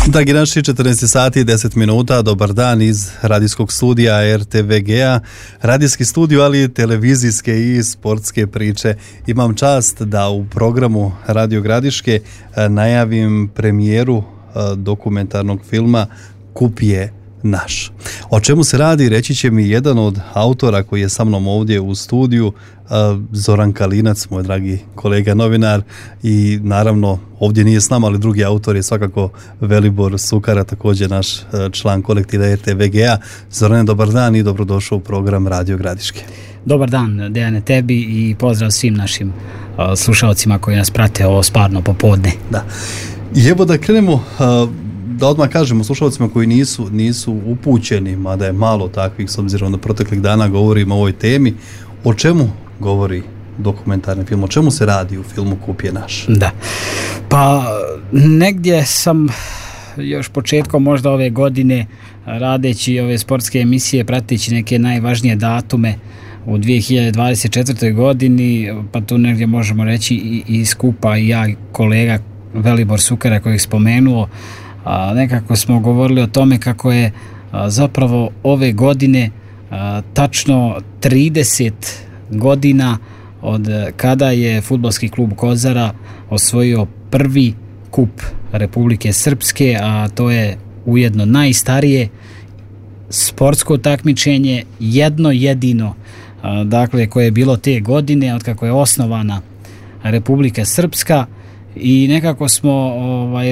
Dragi naši, 14 sati i 10 minuta, dobar dan iz radijskog studija RTVG-a, radijski studio, ali i televizijske i sportske priče. Imam čast da u programu Radio Gradiške najavim premijeru dokumentarnog filma Kup je naš. O čemu se radi, reći će mi jedan od autora koji je sa mnom ovdje u studiju, Zoran Kalinac, moj dragi kolega novinar, i naravno ovdje nije s nama, ali drugi autor je svakako Velibor Sukara, također naš član kolektiva RTVG-a. Zorane, dobar dan i dobrodošao u program Radio Gradiške. Dobar dan, Dejane, tebi i pozdrav svim našim slušalcima koji nas prate ovo sparno popodne. Da. I evo da krenemo, da odmah kažemo slušalcima koji nisu upućeni, mada je malo takvih s obzirom da proteklih dana govorimo o ovoj temi, o čemu govori dokumentarni film, o čemu se radi u filmu Kup je naš? Da, pa negdje sam još početkom možda ove godine, radeći ove sportske emisije, prateći neke najvažnije datume u 2024. godini, pa tu negdje možemo reći i skupa i ja, kolega Velibor Sukara koji je spomenuo, nekako smo govorili o tome kako je zapravo ove godine tačno 30 godina od kada je fudbalski klub Kozara osvojio prvi kup Republike Srpske, a to je ujedno najstarije sportsko takmičenje, jedno jedino, dakle, koje je bilo te godine od kako je osnovana Republika Srpska. I nekako smo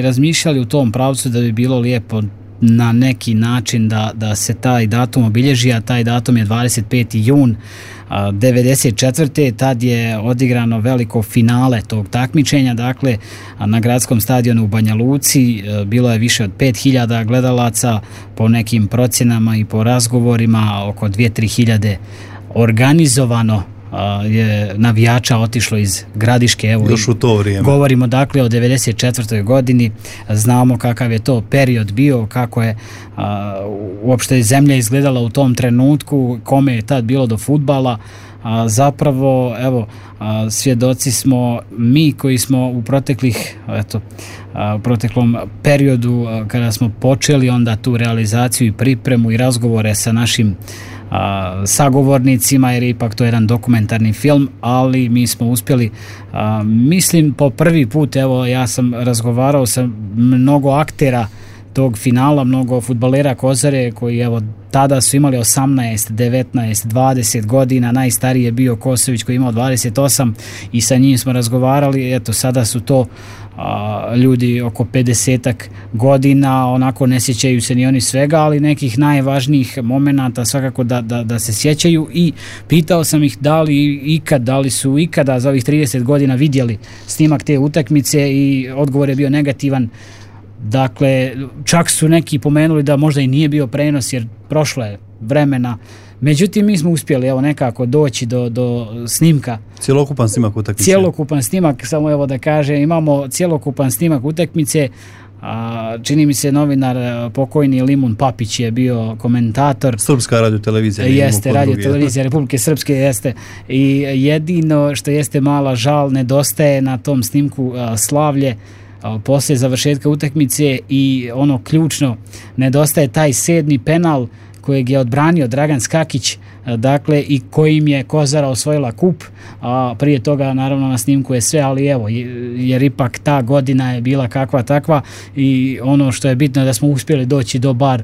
razmišljali u tom pravcu da bi bilo lijepo na neki način da se taj datum obilježi, a taj datum je 25. jun 1994. Tad je odigrano veliko finale tog takmičenja, dakle na gradskom stadionu u Banja Luci bilo je više od 5000 gledalaca, po nekim procjenama i po razgovorima oko 2-3 hiljade organizovano je navijača otišlo iz Gradiške. Evo, još u to vrijeme. Govorimo dakle o 94. godini, znamo kakav je to period bio, kako je uopšte zemlja izgledala u tom trenutku, kome je tad bilo do fudbala. Zapravo, evo, svjedoci smo mi koji smo u proteklom periodu kada smo počeli onda tu realizaciju i pripremu i razgovore sa našim sagovornicima, jer ipak to je jedan dokumentarni film, ali mi smo uspjeli, mislim po prvi put, evo ja sam razgovarao sa mnogo aktera tog finala, mnogo fudbalera Kozare koji evo tada su imali 18, 19, 20 godina, najstariji je bio Kosović koji je imao 28 i sa njim smo razgovarali, eto sada su to ljudi oko 50-ak godina, onako ne sjećaju se ni oni svega, ali nekih najvažnijih momenata svakako da se sjećaju. I pitao sam ih da li su ikada za ovih 30 godina vidjeli snimak te utakmice i odgovor je bio negativan. Dakle, čak su neki pomenuli da možda i nije bio prenos jer prošlo je vremena. Međutim, mi smo uspjeli evo nekako doći do snimka. Cjelokupan snimak utakmice. Cjelokupan snimak, samo evo da kažem, imamo cjelokupan snimak utakmice. Čini mi se novinar pokojni Limun Papić je bio komentator. Srpska radiotelevizija. Jeste, radiotelevizija Republike Srpske, jeste. I jedino što jeste mala žal, nedostaje na tom snimku slavlje poslije završetka utakmice i ono ključno, nedostaje taj 7. penal kojeg je odbranio Dragan Skakić, dakle, i kojim je Kozara osvojila kup, a prije toga naravno na snimku je sve, ali evo, jer ipak ta godina je bila kakva takva i ono što je bitno je da smo uspjeli doći do bar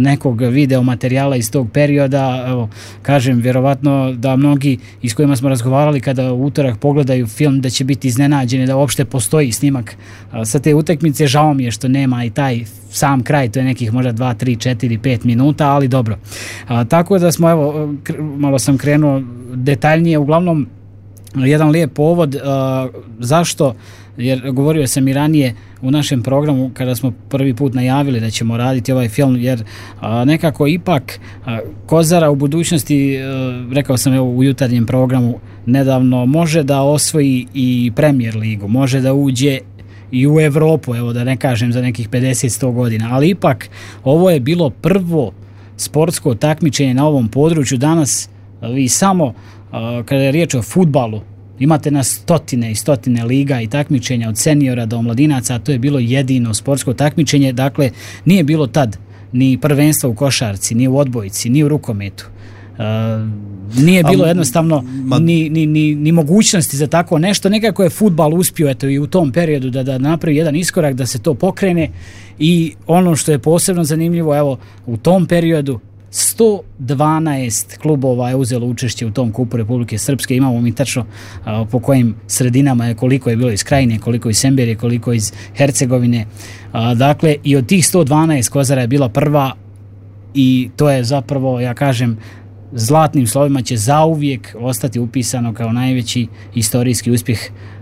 nekog video materijala iz tog perioda. Evo, kažem, vjerovatno da mnogi iz kojima smo razgovarali kada u utorak pogledaju film da će biti iznenađeni da uopšte postoji snimak sa te utakmice. Žao mi je što nema i taj sam kraj, to je nekih možda 2, 3, 4, 5 minuta, ali dobro. Tako da smo, evo, malo sam krenuo detaljnije, uglavnom jedan lijep povod. Zašto? Jer govorio sam i ranije u našem programu kada smo prvi put najavili da ćemo raditi ovaj film, jer nekako ipak Kozara u budućnosti, rekao sam evo u jutarnjem programu nedavno, može da osvoji i Premier ligu, može da uđe i u Evropu, evo da ne kažem za nekih 50-100 godina, ali ipak ovo je bilo prvo sportsko takmičenje na ovom području. Danas vi samo kada je riječ o fudbalu Imate na stotine i stotine liga i takmičenja od seniora do omladinaca, a to je bilo jedino sportsko takmičenje. Dakle, nije bilo tad ni prvenstva u košarci, ni u odbojci, ni u rukometu. Nije bilo jednostavno ni mogućnosti za tako nešto. Nekako je fudbal uspio eto i u tom periodu da napravi jedan iskorak, da se to pokrene. I ono što je posebno zanimljivo, evo, u tom periodu 112 klubova je uzelo učešće u tom kupu Republike Srpske. Imamo mi tačno po kojim sredinama je, koliko je bilo iz Krajine, koliko iz Semberije, koliko iz Hercegovine. Dakle, i od tih 112 Kozara je bila prva i to je zapravo, ja kažem, zlatnim slovima će zauvijek ostati upisano kao najveći istorijski uspjeh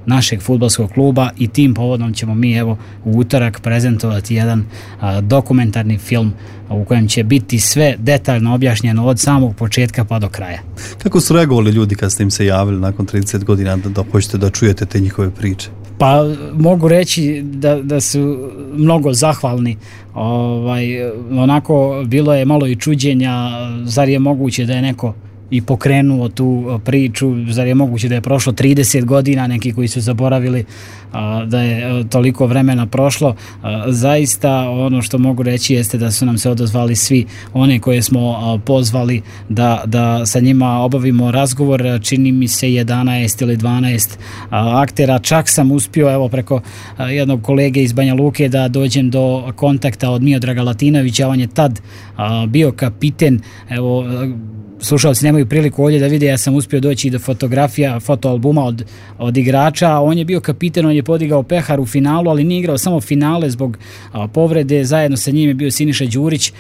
našeg fudbalskog kluba i tim povodom ćemo mi evo u utorak prezentovati jedan dokumentarni film u kojem će biti sve detaljno objašnjeno od samog početka pa do kraja. Kako su reagovali ljudi kad ste im se javili nakon 30 godina da hoćete da čujete te njihove priče? Pa mogu reći da su mnogo zahvalni. Onako bilo je malo i čuđenja, zar je moguće da je neko i pokrenuo tu priču, zar je moguće da je prošlo 30 godina, neki koji su zaboravili da je toliko vremena prošlo. Zaista ono što mogu reći jeste da su nam se odazvali svi one koje smo pozvali da sa njima obavimo razgovor, čini mi se 11 ili 12 aktera. Čak sam uspio evo preko jednog kolege iz Banja Luke da dođem do kontakta od Miodraga Latinovića, on je tad bio kapiten, evo slušalci nemaju priliku ovdje da vide, ja sam uspio doći do fotografija, fotoalbuma od igrača. On je bio kapiten, on je podigao pehar u finalu, ali nije igrao samo finale zbog povrede. Zajedno sa njim je bio Siniša Đurić.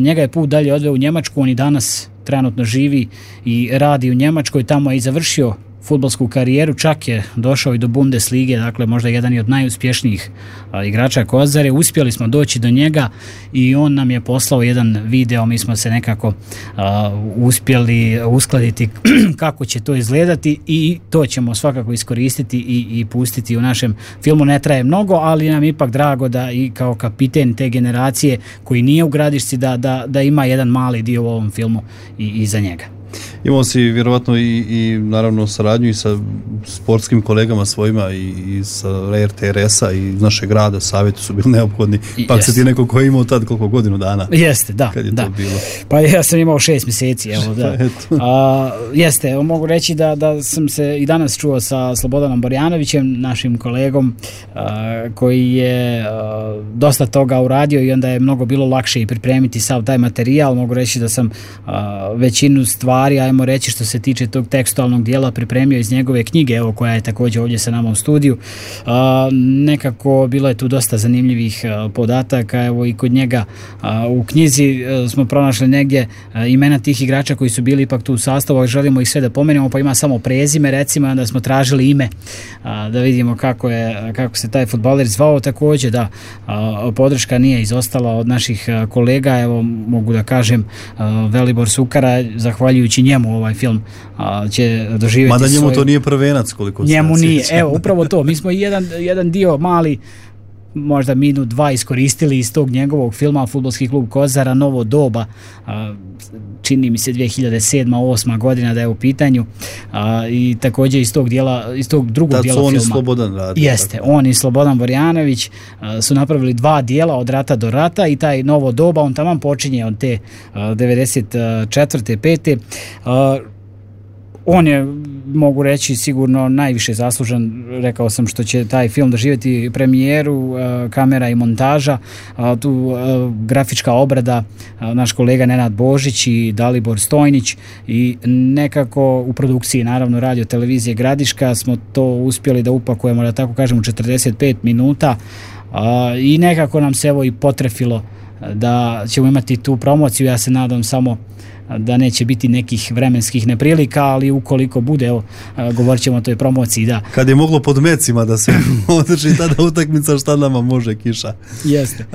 Njega je put dalje odveo u Njemačku, on i danas trenutno živi i radi u Njemačkoj, tamo je i završio fudbalsku karijeru, čak je došao i do Bundeslige, dakle možda jedan i od najuspješnijih igrača Kozare. Uspjeli smo doći do njega i on nam je poslao jedan video, mi smo se nekako uspjeli uskladiti kako će to izgledati i to ćemo svakako iskoristiti i pustiti u našem filmu. Ne traje mnogo, ali nam je ipak drago da i kao kapiten te generacije koji nije u Gradišci da ima jedan mali dio u ovom filmu i za njega. Imao si vjerovatno i naravno saradnju i sa sportskim kolegama svojima i sa RTRS-a i iz našeg grada, savjeti su bili neophodni. Pa se ti neko ko je imao tad koliko godinu dana? Jeste, da. Kad je to bilo? Pa ja sam imao 6 mjeseci. Evo, da. Jeste, mogu reći da sam se i danas čuo sa Slobodanom Borjanovićem, našim kolegom koji je dosta toga uradio i onda je mnogo bilo lakše i pripremiti sav taj materijal. Mogu reći da sam većinu stvari, ajmo reći što se tiče tog tekstualnog dijela, pripremio iz njegove knjige, evo koja je također ovdje sa nama u studiju. Nekako bilo je tu dosta zanimljivih podataka, evo i kod njega u knjizi smo pronašli negdje imena tih igrača koji su bili ipak tu u sastavu, ali želimo ih sve da pomenemo, pa ima samo prezime recimo, onda smo tražili ime da vidimo kako se taj fudbaler zvao. Također da podrška nije izostala od naših kolega, evo mogu da kažem Velibor Sukara, zahvaljujući njemu ovaj film će doživjeti mada njemu to nije prvenac koliko njemu nije, evo upravo to, mi smo jedan dio mali možda minut, dva iskoristili iz tog njegovog filma Fudbalski klub Kozara, Novo doba, čini mi se 2007-2008 godina da je u pitanju, i također iz tog drugog dijela filma. On i Slobodan radi. Jeste, on i Slobodan Borjanović su napravili 2 dijela od rata do rata i taj Novo doba, on taman počinje od te 94. 5. On je, mogu reći, sigurno najviše zaslužan, rekao sam, što će taj film doživjeti premijeru, kamera i montaža, tu grafička obrada, naš kolega Nenad Božić i Dalibor Stojnić i nekako u produkciji, naravno, Radio televizije Gradiška smo to uspjeli da upakujemo, da tako kažem, u 45 minuta i nekako nam se evo i potrefilo da ćemo imati tu promociju. Ja se nadam samo da neće biti nekih vremenskih neprilika, ali ukoliko bude, evo, govorit ćemo o toj promociji, da. Kad je moglo pod mecima da se održi tada utakmica, šta nama može kiša. Jeste.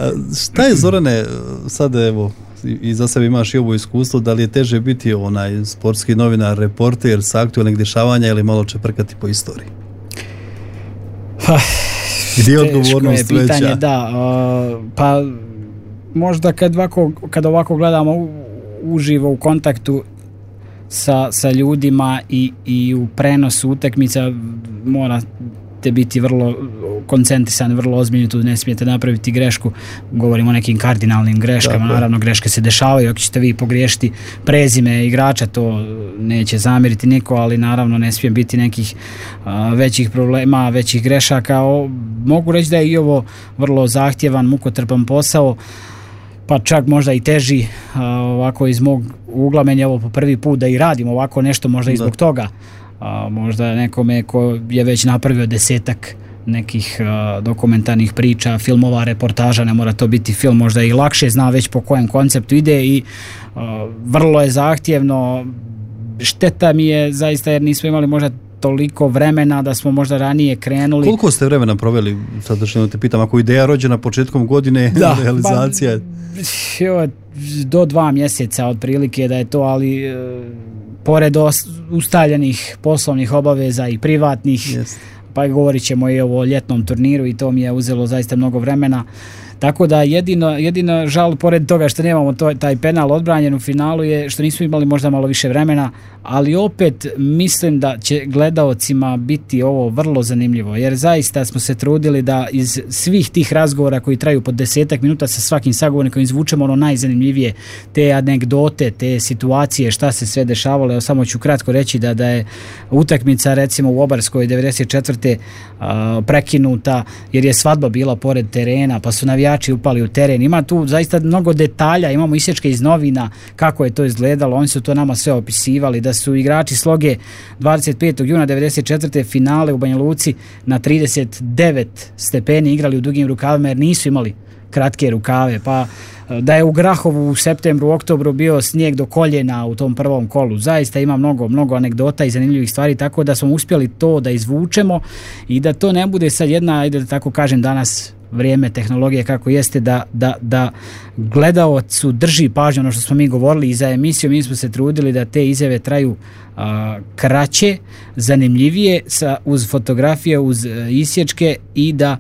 Šta je, Zorane, sad evo, i za sebe imaš i ovo iskustvo, da li je teže biti onaj sportski novinar, reporter sa aktualnih dešavanja ili malo čeprkati po istoriji? Gdje je odgovornost veća? Pitanje, da. Pa možda kad ovako gledamo uživo u kontaktu, sa ljudima i u prenosu utakmica morate biti vrlo koncentrisani, vrlo ozbiljni, tu ne smijete napraviti grešku. Govorimo o nekim kardinalnim greškama, naravno greške se dešavaju, ako ćete vi pogriješiti prezime igrača, to neće zamjeriti niko, ali naravno ne smije biti nekih većih problema, većih grešaka. Mogu reći da je i ovo vrlo zahtjevan, mukotrpan posao, pa čak možda i teži, ovako iz mog ugla, meni je ovo po prvi put da i radim ovako nešto, možda i zbog toga. Možda nekome ko je već napravio 10-ak nekih dokumentarnih priča, filmova, reportaža, ne mora to biti film, možda i lakše zna već po kojem konceptu ide i vrlo je zahtjevno. Šteta mi je zaista jer nismo imali možda toliko vremena da smo možda ranije krenuli. Koliko ste vremena proveli, sad da te pitam, ako ideja rođena početkom godine, realizacija? Do 2 mjeseca otprilike da je to, ali pored ustaljenih poslovnih obaveza i privatnih, pa govorit ćemo i o ljetnom turniru i to mi je uzelo zaista mnogo vremena. Tako da jedino žal pored toga što nemamo taj penal odbranjen u finalu je što nismo imali možda malo više vremena, ali opet mislim da će gledaocima biti ovo vrlo zanimljivo, jer zaista smo se trudili da iz svih tih razgovora koji traju po 10-ak minuta sa svakim sagovornikom izvučemo ono najzanimljivije, te anegdote, te situacije, šta se sve dešavalo. Evo, samo ću kratko reći da je utakmica recimo u Obarskoj 94. Prekinuta jer je svadba bila pored terena, pa su navijači upali u teren. Ima tu zaista mnogo detalja, imamo isječke iz novina kako je to izgledalo, oni su to nama sve opisivali, da su igrači Sloge 25. juna 94. finale u Banja Luci na 39 stepeni igrali u dugim rukavima jer nisu imali kratke rukave, pa da je u Grahovu u septembru, oktobru bio snijeg do koljena u tom prvom kolu. Zaista ima mnogo anegdota i zanimljivih stvari, tako da smo uspjeli to da izvučemo i da to ne bude sad jedna, ajde da tako kažem danas vrijeme tehnologije kako jeste, da gledaocu drži pažnju ono što smo mi govorili i za emisiju. Mi smo se trudili da te izjave traju kraće, zanimljivije, uz fotografije, uz isječke i da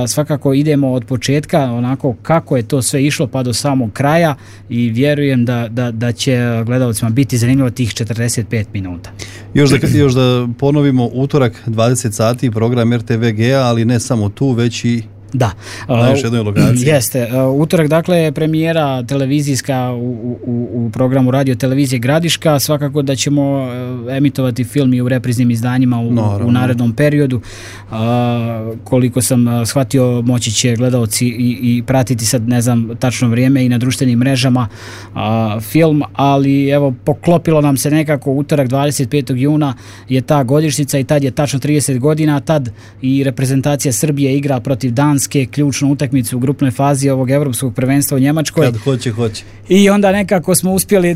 svakako idemo od početka onako kako je to sve išlo pa do samog kraja i vjerujem da će gledaocima biti zanimljivo tih 45 minuta. Još da ponovimo, utorak 20 sati program RTVG-a, ali ne samo tu, već i na još jednoj lokaciji. Jeste. Utorak, dakle, premijera televizijska u programu radio televizije Gradiška. Svakako da ćemo emitovati film i u repriznim izdanjima u narednom periodu. Koliko sam shvatio, moći će gledaoci i pratiti sad, ne znam, tačno vrijeme i na društvenim mrežama film, ali evo, poklopilo nam se nekako utorak 25. juna je ta godišnjica i tad je tačno 30 godina, tad i reprezentacija Srbije igra protiv Danske, ključnu utakmicu u grupnoj fazi ovog evropskog prvenstva u Njemačkoj. Kad hoće. I onda nekako smo uspjeli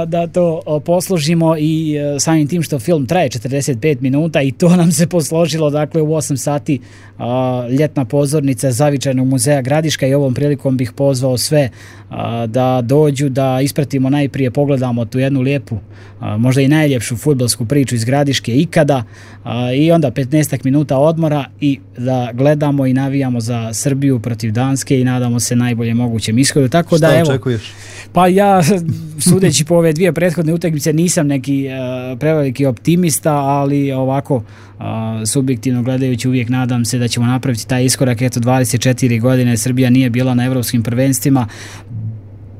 da to posložimo i samim tim što film traje 45 minuta i to nam se posložilo, dakle u 8 sati ljetna pozornica Zavičajnog muzeja Gradiška i ovom prilikom bih pozvao sve da dođu, da ispratimo najprije, pogledamo tu jednu lijepu, možda i najljepšu fudbalsku priču iz Gradiške ikada i onda 15 minuta odmora i da gledamo i navijamo za Srbiju protiv Danske i nadamo se najbolje mogućem ishodu. Tako šta da, evo, očekuješ? Pa ja, sudeći po ove dvije prethodne utakmice, nisam neki preveliki optimista, ali ovako subjektivno gledajući uvijek nadam se da ćemo napraviti taj iskorak. Eto, 24 godine Srbija nije bila na evropskim prvenstvima,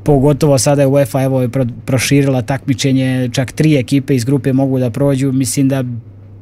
pogotovo sada je UEFA evo proširila takmičenje, čak 3 ekipe iz grupe mogu da prođu. Mislim da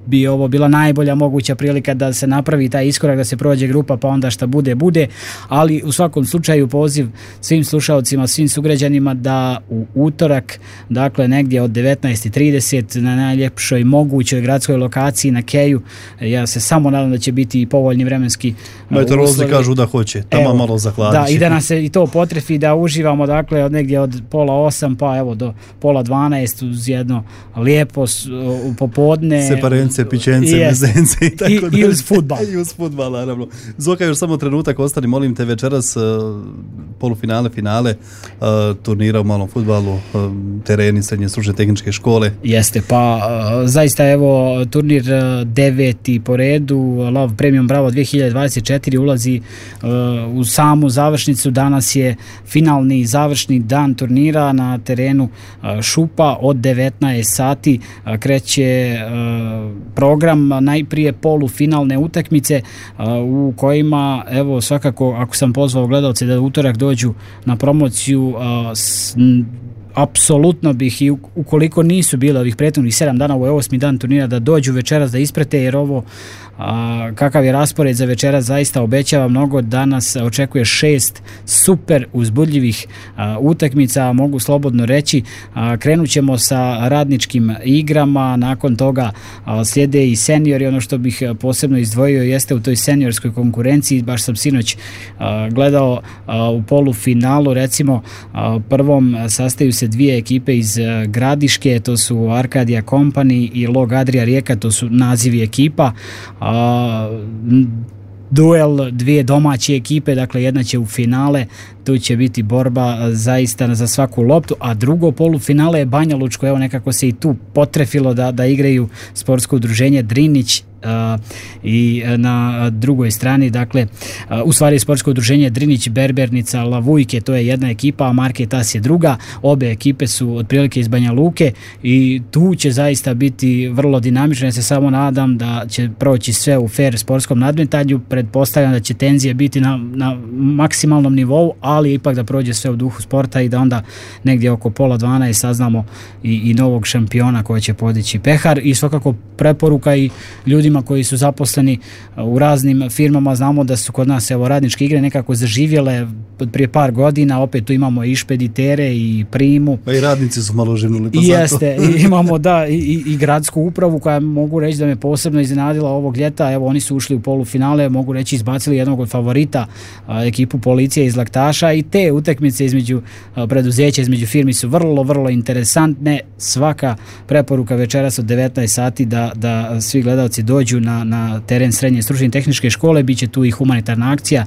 bi ovo bila najbolja moguća prilika da se napravi taj iskorak, da se prođe grupa, pa onda šta bude, ali u svakom slučaju poziv svim slušalcima, svim sugrađanima da u utorak, dakle negdje od 19:30 na najljepšoj mogućoj gradskoj lokaciji na Keju, ja se samo nadam da će biti i povoljni vremenski meteorolozi kažu da hoće, tamo malo zahladit. Da, i da nas se i to potrefi, da uživamo, dakle od negdje od 7:30 pa evo do 11:30 uz jedno lijepo popodne, separence, pićence, mezence i tako da. I uz fudbal. I uz fudbal, naravno. Zoka, još samo trenutak ostani, molim te, večeras polufinale, finale turnira u malom fudbalu, tereni srednje stručne tehničke škole. Jeste, pa zaista evo turnir 9. po redu, Love Premium Bravo 2024 ulazi u samu završnicu. Danas je finalni završni dan turnira na terenu Šupa od 19 sati. Kreće program, najprije polufinalne utakmice u kojima, evo svakako ako sam pozvao gledalce da utorak dođu na promociju, apsolutno bih, i ukoliko nisu bile ovih prethodnih 7 dana, ovo je 8. dan turnira, da dođu večeras da isprate, jer ovo kakav je raspored za večeras zaista obećava mnogo. Danas očekuje 6 super uzbudljivih utakmica, mogu slobodno reći. Krenut ćemo sa radničkim igrama, nakon toga slijede i seniori. Ono što bih posebno izdvojio jeste u toj seniorskoj konkurenciji, baš sam sinoć gledao u polufinalu, recimo prvom sastaju se dvije ekipe iz Gradiške, to su Arkadia Company i Log Adria Rijeka, to su nazivi ekipa. Duel dvije domaće ekipe, dakle jedna će u finale, tu će biti borba zaista za svaku loptu, a drugo polufinale je Banja Lučko, evo nekako se i tu potrefilo da igraju sportsko udruženje Drinić i na drugoj strani, dakle u stvari sportsko udruženje Drinić, Berbernica, Lavujke, to je jedna ekipa, a Marketas je druga. Obe ekipe su otprilike iz Banja Luke i tu će zaista biti vrlo dinamično. Ja se samo nadam da će proći sve u fair sportskom nadmetanju. Pretpostavljam da će tenzije biti na maksimalnom nivou, ali ipak da prođe sve u duhu sporta i da onda negdje oko 11:30 saznamo i novog šampiona koja će podići pehar. I svakako preporuka i ljudima koji su zaposleni u raznim firmama, znamo da su kod nas evo radničke igre nekako zaživjele prije par godina, opet tu imamo i špeditere i primu. Pa i radnici su malo živnuli. Jeste, imamo i gradsku upravu koja mogu reći da me posebno iznenadila ovog ljeta. Evo oni su ušli u polufinale, mogu reći izbacili jednog od favorita, ekipu Policije iz Laktaša, i te utakmice između preduzeća, između firmi su vrlo, vrlo interesantne. Svaka preporuka večeras od 19 sati da svi gledalci dođu na teren srednje stručne tehničke škole. Biće tu i humanitarna akcija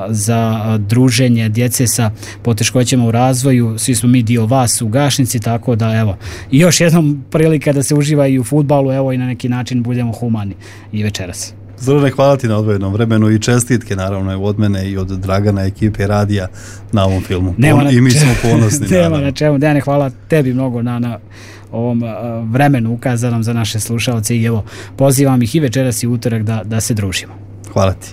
za druženje djece sa poteškoćama u razvoju. Svi smo mi dio vas u Gašnici, tako da evo i još jednom prilika da se uživa i u fudbalu, evo i na neki način budemo humani i večeras. Zorane, hvala ti na odvojenom vremenu i čestitke naravno od mene i od Dragana, ekipe radija na ovom filmu. I mi smo ponosni. Nema na čemu. Dejane, hvala tebi mnogo na ovom vremenu ukazanom za naše slušalce i evo pozivam ih i večeras i utorak da se družimo. Hvala ti.